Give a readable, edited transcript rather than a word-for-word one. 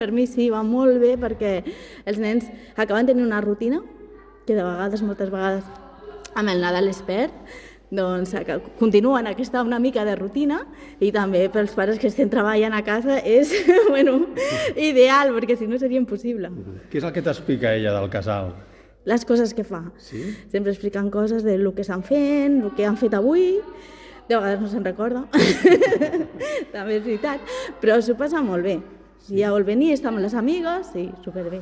Per mi sí, va molt bé perquè els nens acaben tenint una rutina que de vegades, moltes vegades, amb el Nadal es perd, doncs continuen aquesta una mica de rutina i també pels pares que estem treballant a casa és ideal perquè si no seria impossible. Què és el que t'explica ella del casal? Les coses que fa. Sí? Sempre expliquen coses del que estan fent, el que han fet avui, de vegades no se'n recorda, també és veritat, però s'ho passa molt bé. Si ja vol venir, estar amb les amigues, sí, superbé.